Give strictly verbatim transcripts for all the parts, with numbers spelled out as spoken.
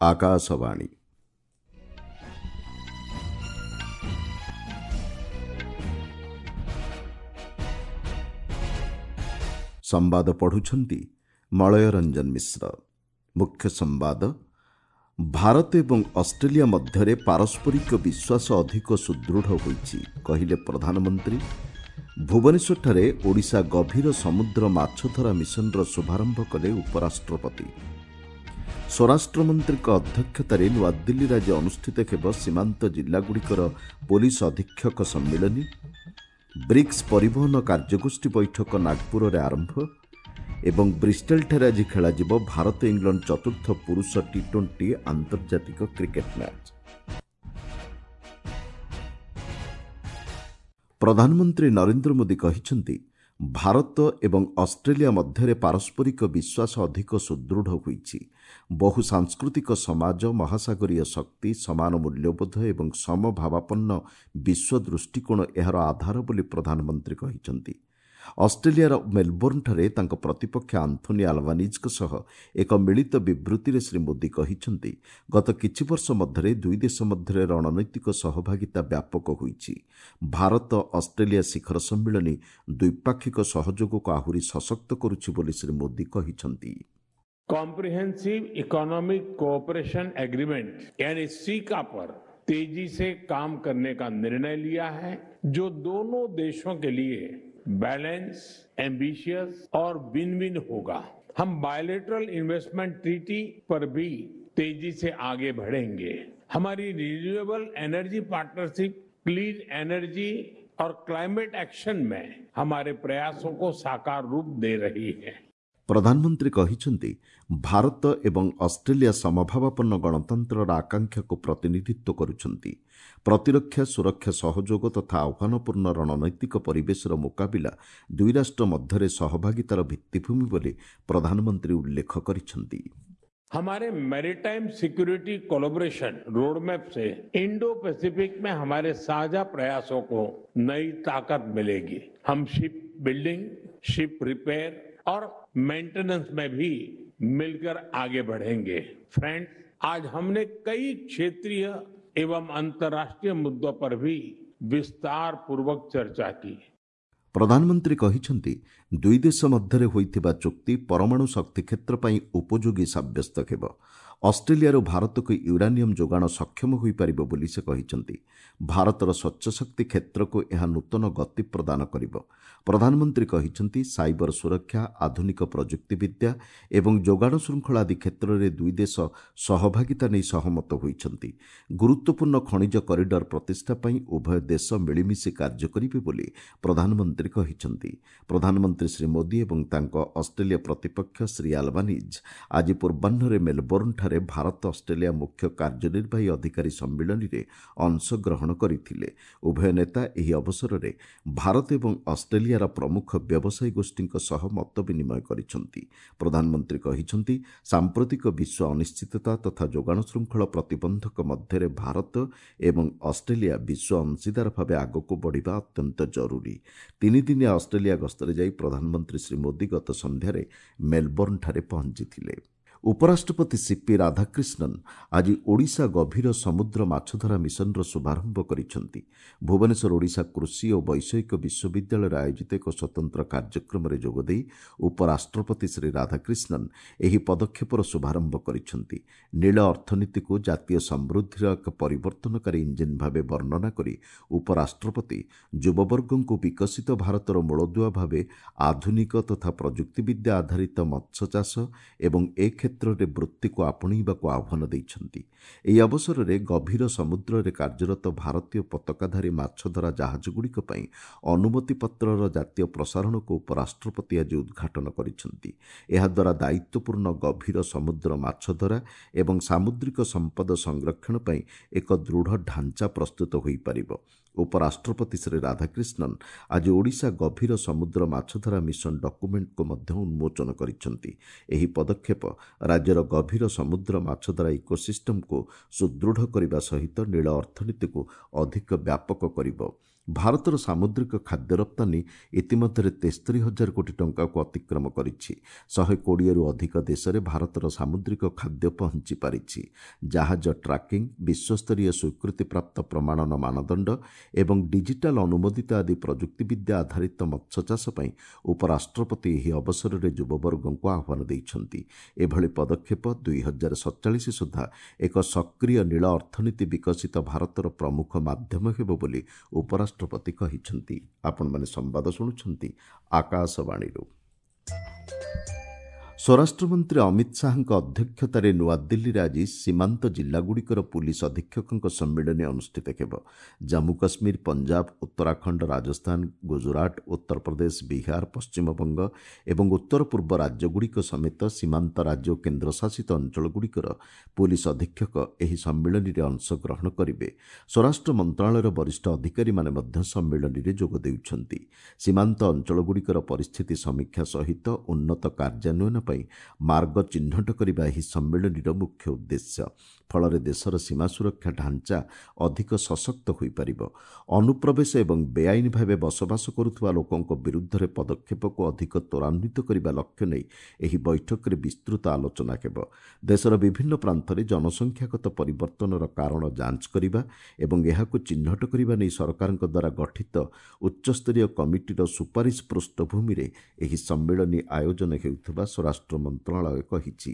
ଆକାଶବାଣୀ। ସମ୍ବାଦ ପଢ଼ୁଛନ୍ତି ମଳୟ ରଞ୍ଜନ ମିଶ୍ର। ମୁଖ୍ୟ ସମ୍ବାଦ, ଭାରତ ଏବଂ ଅଷ୍ଟ୍ରେଲିଆ ମଧ୍ୟରେ ପାରସ୍ପରିକ ବିଶ୍ୱାସ ଅଧିକ ସୁଦୃଢ଼ ହୋଇଛି, କହିଲେ ପ୍ରଧାନମନ୍ତ୍ରୀ। ଭୁବନେଶ୍ୱରଠାରେ ଓଡ଼ିଶା ଗଭୀର ସମୁଦ୍ର ମାଛଧରା ମିଶନର ଶୁଭାରମ୍ଭ କଲେ ଉପରାଷ୍ଟ୍ରପତି। ସ୍ୱରାଷ୍ଟ୍ରମନ୍ତ୍ରୀଙ୍କ ଅଧ୍ୟକ୍ଷତାରେ ନୂଆଦିଲ୍ଲୀରେ ଆଜି ଅନୁଷ୍ଠିତ ହେବ ସୀମାନ୍ତ ଜିଲ୍ଲାଗୁଡ଼ିକର ପୋଲିସ ଅଧୀକ୍ଷକ ସମ୍ମିଳନୀ। ବ୍ରିକ୍ସ ପରିବହନ କାର୍ଯ୍ୟଗୋଷ୍ଠୀ ବୈଠକ ନାଗପୁରରେ ଆରମ୍ଭ ଏବଂ ବ୍ରିଷ୍ଟେଲଠାରେ ଆଜି ଖେଳାଯିବ ଭାରତ ଇଂଲଣ୍ଡ ଚତୁର୍ଥ ପୁରୁଷ ଟି ଟ୍ୱେଣ୍ଟି ଆନ୍ତର୍ଜାତିକ କ୍ରିକେଟ୍ ମ୍ୟାଚ୍। ପ୍ରଧାନମନ୍ତ୍ରୀ ନରେନ୍ଦ୍ର ମୋଦି କହିଛନ୍ତି, ଭାରତ ଏବଂ ଅଷ୍ଟ୍ରେଲିଆ ମଧ୍ୟରେ ପାରସ୍ପରିକ ବିଶ୍ୱାସ ଅଧିକ ସୁଦୃଢ଼ ହୋଇଛି। ବହୁ ସାଂସ୍କୃତିକ ସମାଜ, ମହାସାଗରୀୟ ଶକ୍ତି, ସମାନ ମୂଲ୍ୟବୋଧ ଏବଂ ସମଭାବାପନ୍ନ ବିଶ୍ୱ ଦୃଷ୍ଟିକୋଣ ଏହାର ଆଧାର ବୋଲି ପ୍ରଧାନମନ୍ତ୍ରୀ କହିଛନ୍ତି। ଅଷ୍ଟ୍ରେଲିଆର ମେଲବୋର୍ଣ୍ଣଠାରେ ତାଙ୍କ ପ୍ରତିପକ୍ଷ ଆନ୍ଥୋନି ଆଲବାନିଜ୍ଙ୍କ ସହ ଏକ ମିଳିତ ବିବୃତ୍ତିରେ ଶ୍ରୀ ମୋଦି କହିଛନ୍ତି, ଗତ କିଛି ବର୍ଷ ମଧ୍ୟରେ ଦୁଇ ଦେଶ ମଧ୍ୟରେ ରଣନୈତିକ ସହଭାଗିତା ବ୍ୟାପକ ହୋଇଛି। ଭାରତ ଅଷ୍ଟ୍ରେଲିଆ ଶିଖର ସମ୍ମିଳନୀ ଦ୍ୱିପାକ୍ଷିକ ସହଯୋଗକୁ ଆହୁରି ସଶକ୍ତ କରୁଛି ବୋଲି ଶ୍ରୀ ମୋଦି କହିଛନ୍ତି। कॉम्प्रिहेंसिव इकोनॉमिक कोऑपरेशन एग्रीमेंट यानी सीका पर तेजी से काम करने का निर्णय लिया है, जो दोनों देशों के लिए बैलेंस, एम्बिशियस और विन विन होगा। हम बायलैटरल इन्वेस्टमेंट ट्रीटी पर भी तेजी से आगे बढ़ेंगे। हमारी renewable energy partnership clean energy और क्लाइमेट एक्शन में हमारे प्रयासों को साकार रूप दे रही है। ପ୍ରଧାନମନ୍ତ୍ରୀ କହିଛନ୍ତି, ଭାରତ ଏବଂ ଅଷ୍ଟ୍ରେଲିଆ ସମଭାବାପନ୍ନ ଗଣତନ୍ତ୍ରର ଆକାଂକ୍ଷାକୁ ପ୍ରତିନିଧିତ୍ୱ କରୁଛନ୍ତି। ପ୍ରତିରକ୍ଷା ସୁରକ୍ଷା ସହଯୋଗ ତଥା ଆହ୍ୱାନପୂର୍ଣ୍ଣ ରଣନୈତିକ ପରିବେଶର ମୁକାବିଲା ଦୁଇ ରାଷ୍ଟ୍ର ମଧ୍ୟରେ ସହଭାଗିତାର ଭିତ୍ତିଭୂମି ବୋଲି ପ୍ରଧାନମନ୍ତ୍ରୀ ଉଲ୍ଲେଖ କରିଛନ୍ତି। हमारे मैरीटाइम सिक्योरिटी कोलैबोरेशन रोडमैप से इंडो पैसिफिक में हमारे साझा प्रयासों को नई ताकत मिलेगी। हम शिप बिल्डिंग, शिप रिपेयर और मेंटेनेंस में भी मिलकर आगे बढ़ेंगे। फ्रेंड्स, आज हमने कई क्षेत्रीय एवं अंतर्राष्ट्रीय मुद्दों पर भी विस्तार पूर्वक चर्चा की। ପ୍ରଧାନମନ୍ତ୍ରୀ କହିଛନ୍ତି, ଦୁଇ ଦେଶ ମଧ୍ୟରେ ହୋଇଥିବା ଚୁକ୍ତି ପରମାଣୁ ଶକ୍ତି କ୍ଷେତ୍ର ପାଇଁ ଉପଯୋଗୀ ସାବ୍ୟସ୍ତ ହେବ। ଅଷ୍ଟ୍ରେଲିଆରୁ ଭାରତକୁ ୟୁରାନିୟମ୍ ଯୋଗାଣ ସକ୍ଷମ ହୋଇପାରିବ ବୋଲି ସେ କହିଛନ୍ତି। ଭାରତର ସ୍ୱଚ୍ଛ ଶକ୍ତି କ୍ଷେତ୍ରକୁ ଏହା ନୂତନ ଗତି ପ୍ରଦାନ କରିବ। ପ୍ରଧାନମନ୍ତ୍ରୀ କହିଛନ୍ତି, ସାଇବର ସୁରକ୍ଷା, ଆଧୁନିକ ପ୍ରଯୁକ୍ତିବିଦ୍ୟା ଏବଂ ଯୋଗାଣ ଶୃଙ୍ଖଳା ଆଦି କ୍ଷେତ୍ରରେ ଦୁଇ ଦେଶ ସହଭାଗିତା ନେଇ ସହମତ ହୋଇଛନ୍ତି। ଗୁରୁତ୍ୱପୂର୍ଣ୍ଣ ଖଣିଜ କରିଡର ପ୍ରତିଷ୍ଠା ପାଇଁ ଉଭୟ ଦେଶ ମିଳିମିଶି କାର୍ଯ୍ୟ କରିବେ ବୋଲି ପ୍ରଧାନମନ୍ତ୍ରୀ କହିଛନ୍ତି। ପ୍ରଧାନମନ୍ତ୍ରୀ ଶ୍ରୀ ମୋଦି ଏବଂ ତାଙ୍କ ଅଷ୍ଟ୍ରେଲିଆ ପ୍ରତିପକ୍ଷ ଶ୍ରୀ ଆଲବାନିଜ୍ ଆଜି ପୂର୍ବାହ୍ନରେ ମେଲବୋର୍ଣ୍ଣଠାରେ ଭାରତ ଅଷ୍ଟ୍ରେଲିଆ ମୁଖ୍ୟ କାର୍ଯ୍ୟନିର୍ବାହୀ ଅଧିକାରୀ ସମ୍ମିଳନୀରେ ଅଂଶଗ୍ରହଣ କରିଥିଲେ। ଉଭୟ ନେତା ଏହି ଅବସରରେ ଭାରତ ଏବଂ ଅଷ୍ଟ୍ରେଲିଆର ପ୍ରମୁଖ ବ୍ୟବସାୟୀ ଗୋଷ୍ଠୀଙ୍କ ସହ ମତ ବିନିମୟ କରିଛନ୍ତି। ପ୍ରଧାନମନ୍ତ୍ରୀ କହିଛନ୍ତି, ସାମ୍ପ୍ରତିକ ବିଶ୍ୱ ଅନିଶ୍ଚିତତା ତଥା ଯୋଗାଣ ଶୃଙ୍ଖଳ ପ୍ରତିବନ୍ଧକ ମଧ୍ୟରେ ଭାରତ ଏବଂ ଅଷ୍ଟ୍ରେଲିଆ ବିଶ୍ୱ ଅଂଶୀଦାର ଭାବେ ଆଗକୁ ବଢ଼ିବା ଅତ୍ୟନ୍ତ ଜରୁରୀ। ତିନିଦିନିଆ ଅଷ୍ଟ୍ରେଲିଆ ଗସ୍ତରେ ଯାଇ ପ୍ରଧାନମନ୍ତ୍ରୀ ଶ୍ରୀ ମୋଦି ଗତ ସନ୍ଧ୍ୟାରେ ମେଲବୋର୍ଣ୍ଣଠାରେ ପହଞ୍ଚିଥିଲେ। ଉପରାଷ୍ଟ୍ରପତି ସିପି ରାଧାକ୍ରିଷ୍ଣନ୍ ଆଜି ଓଡ଼ିଶା ଗଭୀର ସମୁଦ୍ର ମାଛଧରା ମିଶନର ଶୁଭାରମ୍ଭ କରିଛନ୍ତି। ଭୁବନେଶ୍ୱର ଓଡ଼ିଶା କୃଷି ଓ ବୈଷୟିକ ବିଶ୍ୱବିଦ୍ୟାଳୟରେ ଆୟୋଜିତ ଏକ ସ୍ୱତନ୍ତ୍ର କାର୍ଯ୍ୟକ୍ରମରେ ଯୋଗଦେଇ ଉପରାଷ୍ଟ୍ରପତି ଶ୍ରୀ ରାଧାକ୍ରିଷ୍ଣନ୍ ଏହି ପଦକ୍ଷେପର ଶୁଭାରମ୍ଭ କରିଛନ୍ତି। ନୀଳ ଅର୍ଥନୀତିକୁ ଜାତୀୟ ସମୃଦ୍ଧିର ଏକ ପରିବର୍ତ୍ତନକାରୀ ଇଞ୍ଜିନ୍ ଭାବେ ବର୍ଣ୍ଣନା କରି ଉପରାଷ୍ଟ୍ରପତି ଯୁବବର୍ଗଙ୍କୁ ବିକଶିତ ଭାରତର ମୂଳଦୁଆ ଭାବେ ଆଧୁନିକ ତଥା ପ୍ରଯୁକ୍ତିବିଦ୍ୟା ଆଧାରିତ ମତ୍ସ୍ୟଚାଷ ଏବଂ ଏ କ୍ଷେତ୍ରରେ ବୃତ୍ତିକୁ ଆପଣେଇବାକୁ ଆହ୍ୱାନ ଦେଇଛନ୍ତି। ଏହି ଅବସରରେ ଗଭୀର ସମୁଦ୍ରରେ କାର୍ଯ୍ୟରତ ଭାରତୀୟ ପତାକାଧାରୀ ମାଛଧରା ଜାହାଜଗୁଡ଼ିକ ପାଇଁ ଅନୁମତିପତ୍ରର ଜାତୀୟ ପ୍ରସାରଣକୁ ଉପରାଷ୍ଟ୍ରପତି ଆଜି ଉଦ୍ଘାଟନ କରିଛନ୍ତି। ଏହାଦ୍ୱାରା ଦାୟିତ୍ୱପୂର୍ଣ୍ଣ ଗଭୀର ସମୁଦ୍ର ମାଛଧରା ଏବଂ ସାମୁଦ୍ରିକ ସମ୍ପଦ ସଂରକ୍ଷଣ ପାଇଁ ଏକ ଦୃଢ଼ ଢାଞ୍ଚା ପ୍ରସ୍ତୁତ ହୋଇପାରିବ। ଉପରାଷ୍ଟ୍ରପତି ଶ୍ରୀ ରାଧାକ୍ରିଷ୍ଣନ୍ ଆଜି ଓଡ଼ିଶା ଗଭୀର ସମୁଦ୍ର ମାଛଧରା ମିଶନ ଡକୁମେଣ୍ଟକୁ ମଧ୍ୟ ଉନ୍ମୋଚନ କରିଛନ୍ତି। ଏହି ପଦକ୍ଷେପ ରାଜ୍ୟର ଗଭୀର ସମୁଦ୍ର ମାଛଧରା ଇକୋସିଷ୍ଟମକୁ ସୁଦୃଢ଼ କରିବା ସହିତ ନୀଳ ଅର୍ଥନୀତିକୁ ଅଧିକ ବ୍ୟାପକ କରିବ। ଭାରତର ସାମୁଦ୍ରିକ ଖାଦ୍ୟ ରପ୍ତାନୀ ଇତିମଧ୍ୟରେ ତେସ୍ତରୀ ହଜାର କୋଟି ଟଙ୍କାକୁ ଅତିକ୍ରମ କରିଛି। ଶହେ କୋଡ଼ିଏରୁ ଅଧିକ ଦେଶରେ ଭାରତର ସାମୁଦ୍ରିକ ଖାଦ୍ୟ ପହଞ୍ଚି ପାରିଛି। ଜାହାଜ ଟ୍ରାକିଂ, ବିଶ୍ୱସ୍ତରୀୟ ସ୍ୱୀକୃତିପ୍ରାପ୍ତ ପ୍ରମାଣନ ମାନଦଣ୍ଡ ଏବଂ ଡିଜିଟାଲ ଅନୁମୋଦିତ ଆଦି ପ୍ରଯୁକ୍ତିବିଦ୍ୟା ଆଧାରିତ ମତ୍ସ୍ୟଚାଷ ପାଇଁ ଉପରାଷ୍ଟ୍ରପତି ଏହି ଅବସରରେ ଯୁବବର୍ଗଙ୍କୁ ଆହ୍ୱାନ ଦେଇଛନ୍ତି। ଏଭଳି ପଦକ୍ଷେପ ଦୁଇ ହଜାର ସତଚାଳିଶ ସୁଦ୍ଧା ଏକ ସକ୍ରିୟ ନୀଳ ଅର୍ଥନୀତି ବିକଶିତ ଭାରତର ପ୍ରମୁଖ ମାଧ୍ୟମ ହେବ ବୋଲି ଉପରାଷ୍ଟ୍ରପତି ରାଷ୍ଟ୍ରପତି କହିଛନ୍ତି। ଆପଣମାନେ ସମ୍ବାଦ ଶୁଣୁଛନ୍ତି ଆକାଶବାଣୀରୁ। ସ୍ୱରାଷ୍ଟ୍ରମନ୍ତ୍ରୀ ଅମିତ ଶାହାଙ୍କ ଅଧ୍ୟକ୍ଷତାରେ ନୂଆଦିଲ୍ଲୀରେ ଆଜି ସୀମାନ୍ତ ଜିଲ୍ଲାଗୁଡ଼ିକର ପୁଲିସ ଅଧୀକ୍ଷକଙ୍କ ସମ୍ମିଳନୀ ଅନୁଷ୍ଠିତ ହେବ। ଜାମ୍ମୁ କାଶ୍ମୀର, ପଞ୍ଜାବ, ଉତ୍ତରାଖଣ୍ଡ, ରାଜସ୍ଥାନ, ଗୁଜୁରାଟ, ଉତ୍ତରପ୍ରଦେଶ, ବିହାର, ପଶ୍ଚିମବଙ୍ଗ ଏବଂ ଉତ୍ତର ପୂର୍ବ ରାଜ୍ୟଗୁଡ଼ିକ ସମେତ ସୀମାନ୍ତ ରାଜ୍ୟ ଓ କେନ୍ଦ୍ରଶାସିତ ଅଞ୍ଚଳଗୁଡ଼ିକର ପୁଲିସ ଅଧୀକ୍ଷକ ଏହି ସମ୍ମିଳନୀରେ ଅଂଶଗ୍ରହଣ କରିବେ। ସ୍ୱରାଷ୍ଟ୍ର ମନ୍ତ୍ରଣାଳୟର ବରିଷ୍ଠ ଅଧିକାରୀମାନେ ମଧ୍ୟ ସମ୍ମିଳନୀରେ ଯୋଗ ଦେଉଛନ୍ତି। ସୀମାନ୍ତ ଅଞ୍ଚଳଗୁଡ଼ିକର ପରିସ୍ଥିତି ସମୀକ୍ଷା ସହିତ ଉନ୍ନତ କାର୍ଯ୍ୟାନ୍ୱୟନ ପାଇଁ ମାର୍ଗ ଚିହ୍ନଟ କରିବା ଏହି ସମ୍ମିଳନୀର ମୁଖ୍ୟ ଉଦ୍ଦେଶ୍ୟ। ଫଳରେ ଦେଶର ସୀମା ସୁରକ୍ଷା ଢାଞ୍ଚା ଅଧିକ ସଶକ୍ତ ହୋଇପାରିବ। ଅନୁପ୍ରବେଶ ଏବଂ ବେଆଇନ ଭାବେ ବସବାସ କରୁଥିବା ଲୋକଙ୍କ ବିରୁଦ୍ଧରେ ପଦକ୍ଷେପକୁ ଅଧିକ ତ୍ୱରାନ୍ୱିତ କରିବା ଲକ୍ଷ୍ୟ ନେଇ ଏହି ବୈଠକରେ ବିସ୍ତୃତ ଆଲୋଚନା ହେବ। ଦେଶର ବିଭିନ୍ନ ପ୍ରାନ୍ତରେ ଜନସଂଖ୍ୟାଗତ ପରିବର୍ତ୍ତନର କାରଣ ଯାଞ୍ଚ କରିବା ଏବଂ ଏହାକୁ ଚିହ୍ନଟ କରିବା ନେଇ ସରକାରଙ୍କ ଦ୍ୱାରା ଗଠିତ ଉଚ୍ଚସ୍ତରୀୟ କମିଟିର ସୁପାରିଶ ପୃଷ୍ଠଭୂମିରେ ଏହି ସମ୍ମିଳନୀ ଆୟୋଜନ ହେଉଥିବା ସ୍ୱରାଷ୍ଟ୍ର ମନ୍ତ୍ରଣାଳୟ କହିଛି।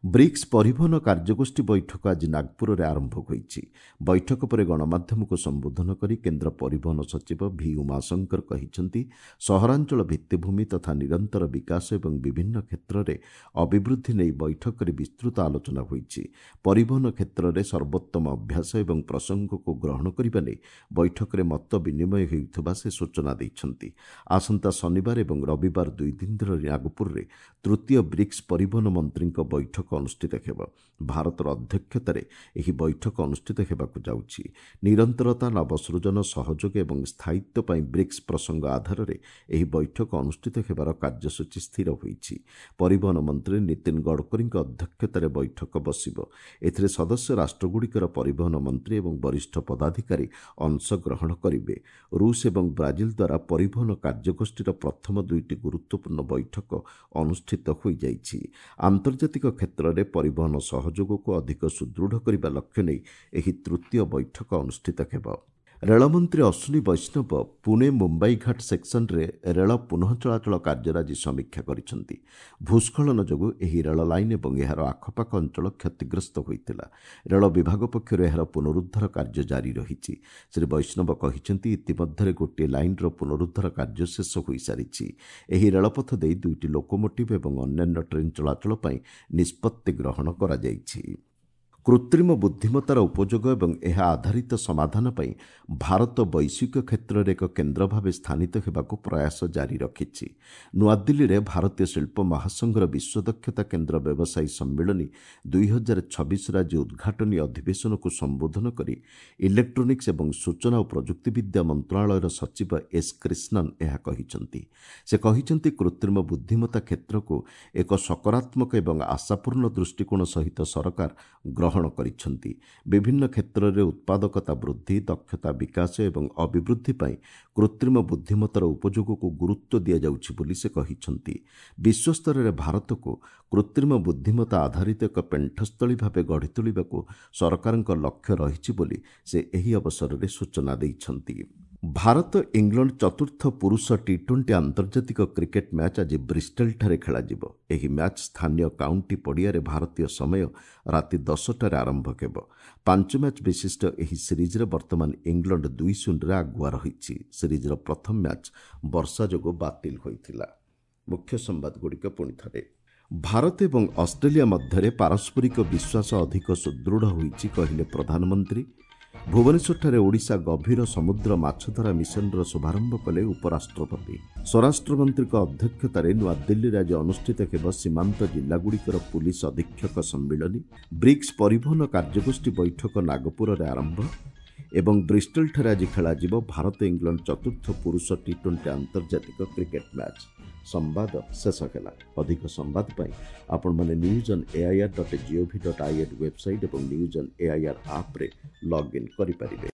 ବ୍ରିକ୍ସ ପରିବହନ କାର୍ଯ୍ୟଗୋଷ୍ଠୀ ବୈଠକ ଆଜି ନାଗପୁରରେ ଆରମ୍ଭ ହୋଇଛି। ବୈଠକ ପରେ ଗଣମାଧ୍ୟମକୁ ସମ୍ବୋଧନ କରି କେନ୍ଦ୍ର ପରିବହନ ସଚିବ ଭି ଉମାଶଙ୍କର କହିଛନ୍ତି, ସହରାଞ୍ଚଳ ଭିତ୍ତିଭୂମି ତଥା ନିରନ୍ତର ବିକାଶ ଏବଂ ବିଭିନ୍ନ କ୍ଷେତ୍ରରେ ଅଭିବୃଦ୍ଧି ନେଇ ବୈଠକରେ ବିସ୍ତୃତ ଆଲୋଚନା ହୋଇଛି। ପରିବହନ କ୍ଷେତ୍ରରେ ସର୍ବୋତ୍ତମ ଅଭ୍ୟାସ ଏବଂ ପ୍ରସଙ୍ଗକୁ ଗ୍ରହଣ କରିବା ନେଇ ବୈଠକରେ ମତ ବିନିମୟ ହେଉଥିବା ସେ ସୂଚନା ଦେଇଛନ୍ତି। ଆସନ୍ତା ଶନିବାର ଏବଂ ରବିବାର ଦୁଇ ଦିନ ଧରି ନାଗପୁରରେ ତୃତୀୟ ବ୍ରିକ୍ସ ପରିବହନ ମନ୍ତ୍ରୀଙ୍କ ବୈଠକ ଅନୁଷ୍ଠିତ ହେବ। ଭାରତର ଅଧ୍ୟକ୍ଷତାରେ ଏହି ବୈଠକ ଅନୁଷ୍ଠିତ ହେବାକୁ ଯାଉଛି। ନିରନ୍ତରତା, ନବସୃଜନ, ସହଯୋଗ ଏବଂ ସ୍ଥାୟିତ୍ୱ ପାଇଁ ବ୍ରିକ୍ସ ପ୍ରସଙ୍ଗ ଆଧାରରେ ଏହି ବୈଠକ ଅନୁଷ୍ଠିତ ହେବାର କାର୍ଯ୍ୟସୂଚୀ ସ୍ଥିର ହୋଇଛି। ପରିବହନ ମନ୍ତ୍ରୀ ନୀତିନ ଗଡ଼କରୀଙ୍କ ଅଧ୍ୟକ୍ଷତାରେ ବୈଠକ ବସିବ। ଏଥିରେ ସଦସ୍ୟ ରାଷ୍ଟ୍ରଗୁଡ଼ିକର ପରିବହନ ମନ୍ତ୍ରୀ ଏବଂ ବରିଷ୍ଠ ପଦାଧିକାରୀ ଅଂଶଗ୍ରହଣ କରିବେ। ରୁଷ ଏବଂ ବ୍ରାଜିଲ ଦ୍ୱାରା ପରିବହନ କାର୍ଯ୍ୟଗୋଷ୍ଠୀର ପ୍ରଥମ ଦୁଇଟି ଗୁରୁତ୍ୱପୂର୍ଣ୍ଣ ବୈଠକ ଅନୁଷ୍ଠିତ ହୋଇଯାଇଛି। ଆନ୍ତର୍ଜାତିକ କ୍ଷେତ୍ରରେ ପରିବହନ ସହଯୋଗକୁ ଅଧିକ ସୁଦୃଢ଼ କରିବା ଲକ୍ଷ୍ୟ ନେଇ ଏହି ତୃତୀୟ ବୈଠକ ଅନୁଷ୍ଠିତ ହେବ। ରେଳମନ୍ତ୍ରୀ ଅଶ୍ୱିନୀ ବୈଷ୍ଣବ ପୁଣେ ମୁମ୍ବାଇ ଘାଟ ସେକ୍ସନରେ ରେଳ ପୁନଃ ଚଳାଚଳ କାର୍ଯ୍ୟର ଆଜି ସମୀକ୍ଷା କରିଛନ୍ତି। ଭୂସ୍ଖଳନ ଯୋଗୁଁ ଏହି ରେଳ ଲାଇନ୍ ଏବଂ ଏହାର ଆଖପାଖ ଅଞ୍ଚଳ କ୍ଷତିଗ୍ରସ୍ତ ହୋଇଥିଲା। ରେଳ ବିଭାଗ ପକ୍ଷରୁ ଏହାର ପୁନରୁଦ୍ଧାର କାର୍ଯ୍ୟ ଜାରି ରହିଛି। ଶ୍ରୀ ବୈଷ୍ଣବ କହିଛନ୍ତି, ଇତିମଧ୍ୟରେ ଗୋଟିଏ ଲାଇନ୍ର ପୁନରୁଦ୍ଧାର କାର୍ଯ୍ୟ ଶେଷ ହୋଇସାରିଛି। ଏହି ରେଳପଥ ଦେଇ ଦୁଇଟି ଲୋକୋମୋଟିଭ୍ ଏବଂ ଅନ୍ୟାନ୍ୟ ଟ୍ରେନ୍ ଚଳାଚଳ ପାଇଁ ନିଷ୍ପତ୍ତି ଗ୍ରହଣ କରାଯାଇଛି। କୃତ୍ରିମ ବୁଦ୍ଧିମତ୍ତାର ଉପଯୋଗ ଏବଂ ଏହା ଆଧାରିତ ସମାଧାନ ପାଇଁ ଭାରତ ବୈଶ୍ୱିକ କ୍ଷେତ୍ରରେ ଏକ କେନ୍ଦ୍ର ଭାବେ ସ୍ଥାନିତ ହେବାକୁ ପ୍ରୟାସ ଜାରି ରଖିଛି। ନୂଆଦିଲ୍ଲୀରେ ଭାରତୀୟ ଶିଳ୍ପ ମହାସଂଘର ବିଶ୍ୱ ଦକ୍ଷତା କେନ୍ଦ୍ର ବ୍ୟବସାୟୀ ସମ୍ମିଳନୀ ଦୁଇ ହଜାର ଛବିଶର ଆଜି ଉଦ୍ଘାଟନୀ ଅଧିବେଶନକୁ ସମ୍ବୋଧନ କରି ଇଲେକ୍ଟ୍ରୋନିକ୍ସ ଏବଂ ସୂଚନା ଓ ପ୍ରଯୁକ୍ତିବିଦ୍ୟା ମନ୍ତ୍ରଣାଳୟର ସଚିବ ଏସ୍ କ୍ରିଷ୍ଣନ୍ ଏହା କହିଛନ୍ତି। ସେ କହିଛନ୍ତି, କୃତ୍ରିମ ବୁଦ୍ଧିମତ୍ତା କ୍ଷେତ୍ରକୁ ଏକ ସକାରାତ୍ମକ ଏବଂ ଆଶାପୂର୍ଣ୍ଣ ଦୃଷ୍ଟିକୋଣ ସହିତ ସରକାର ଗ୍ରହଣ କରିଛନ୍ତି। ବିଭିନ୍ନ କ୍ଷେତ୍ରରେ ଉତ୍ପାଦକତା ବୃଦ୍ଧି, ଦକ୍ଷତା ବିକାଶ ଏବଂ ଅଭିବୃଦ୍ଧି ପାଇଁ କୃତ୍ରିମ ବୁଦ୍ଧିମତ୍ତାର ଉପଯୋଗକୁ ଗୁରୁତ୍ୱ ଦିଆଯାଉଛି ବୋଲି ସେ କହିଛନ୍ତି। ବିଶ୍ୱସ୍ତରରେ ଭାରତକୁ କୃତ୍ରିମ ବୁଦ୍ଧିମତ୍ତା ଆଧାରିତ ଏକ ପେଣ୍ଠସ୍ଥଳୀ ଭାବେ ଗଢ଼ି ତୋଳିବାକୁ ସରକାରଙ୍କ ଲକ୍ଷ୍ୟ ରହିଛି ବୋଲି ସେ ଏହି ଅବସରରେ ସୂଚନା ଦେଇଛନ୍ତି। ଭାରତ ଇଂଲଣ୍ଡ ଚତୁର୍ଥ ପୁରୁଷ ଟି ଟ୍ୱେଣ୍ଟି ଆନ୍ତର୍ଜାତିକ କ୍ରିକେଟ୍ ମ୍ୟାଚ୍ ଆଜି ବ୍ରିଷ୍ଟଲଠାରେ ଖେଳାଯିବ। ଏହି ମ୍ୟାଚ୍ ସ୍ଥାନୀୟ କାଉଣ୍ଟି ପଡ଼ିଆରେ ଭାରତୀୟ ସମୟ ରାତି ଦଶଟାରେ ଆରମ୍ଭ ହେବ। ପାଞ୍ଚ ମ୍ୟାଚ୍ ବିଶିଷ୍ଟ ଏହି ସିରିଜ୍ରେ ବର୍ତ୍ତମାନ ଇଂଲଣ୍ଡ ଦୁଇ ଶୂନରେ ଆଗୁଆ ରହିଛି। ସିରିଜ୍ର ପ୍ରଥମ ମ୍ୟାଚ୍ ବର୍ଷା ଯୋଗୁଁ ବାତିଲ ହୋଇଥିଲା। ମୁଖ୍ୟ ସମ୍ବାଦଗୁଡ଼ିକ ପୁଣି ଥରେ। ଭାରତ ଏବଂ ଅଷ୍ଟ୍ରେଲିଆ ମଧ୍ୟରେ ପାରସ୍ପରିକ ବିଶ୍ୱାସ ଅଧିକ ସୁଦୃଢ଼ ହୋଇଛି, କହିଲେ ପ୍ରଧାନମନ୍ତ୍ରୀ। ଭୁବନେଶ୍ୱରଠାରେ ଓଡ଼ିଶା ଗଭୀର ସମୁଦ୍ର ମାଛଧରା ମିଶନର ଶୁଭାରମ୍ଭ କଲେ ଉପରାଷ୍ଟ୍ରପତି। ସ୍ୱରାଷ୍ଟ୍ରମନ୍ତ୍ରୀଙ୍କ ଅଧ୍ୟକ୍ଷତାରେ ନୂଆଦିଲ୍ଲୀରେ ଆଜି ଅନୁଷ୍ଠିତ ହେବ ସୀମାନ୍ତ ଜିଲ୍ଲାଗୁଡ଼ିକର ପୁଲିସ ଅଧୀକ୍ଷକ ସମ୍ମିଳନୀ। ବ୍ରିକ୍ସ ପରିବହନ କାର୍ଯ୍ୟଗୋଷ୍ଠୀ ବୈଠକ ନାଗପୁରରେ ଆରମ୍ଭ ଏବଂ ବ୍ରିଷ୍ଟଲଠାରେ ଆଜି ଖେଳାଯିବ ଭାରତ ଇଂଲଣ୍ଡ ଚତୁର୍ଥ ପୁରୁଷ ଟି ଟ୍ୱେଣ୍ଟି ଆନ୍ତର୍ଜାତିକ କ୍ରିକେଟ୍ ମ୍ୟାଚ୍। ସମ୍ବାଦ ଶେଷ ହେଲା। ଅଧିକ ସମ୍ବାଦ ପାଇଁ ଆପଣମାନେ news on AIR dot GOV dot IN website ଏବଂ ନ୍ୟୁଜ୍ ଅନ୍ ଏଆଇଆର୍ ଆପ୍ରେ ଲଗ୍ଇନ୍ କରିପାରିବେ।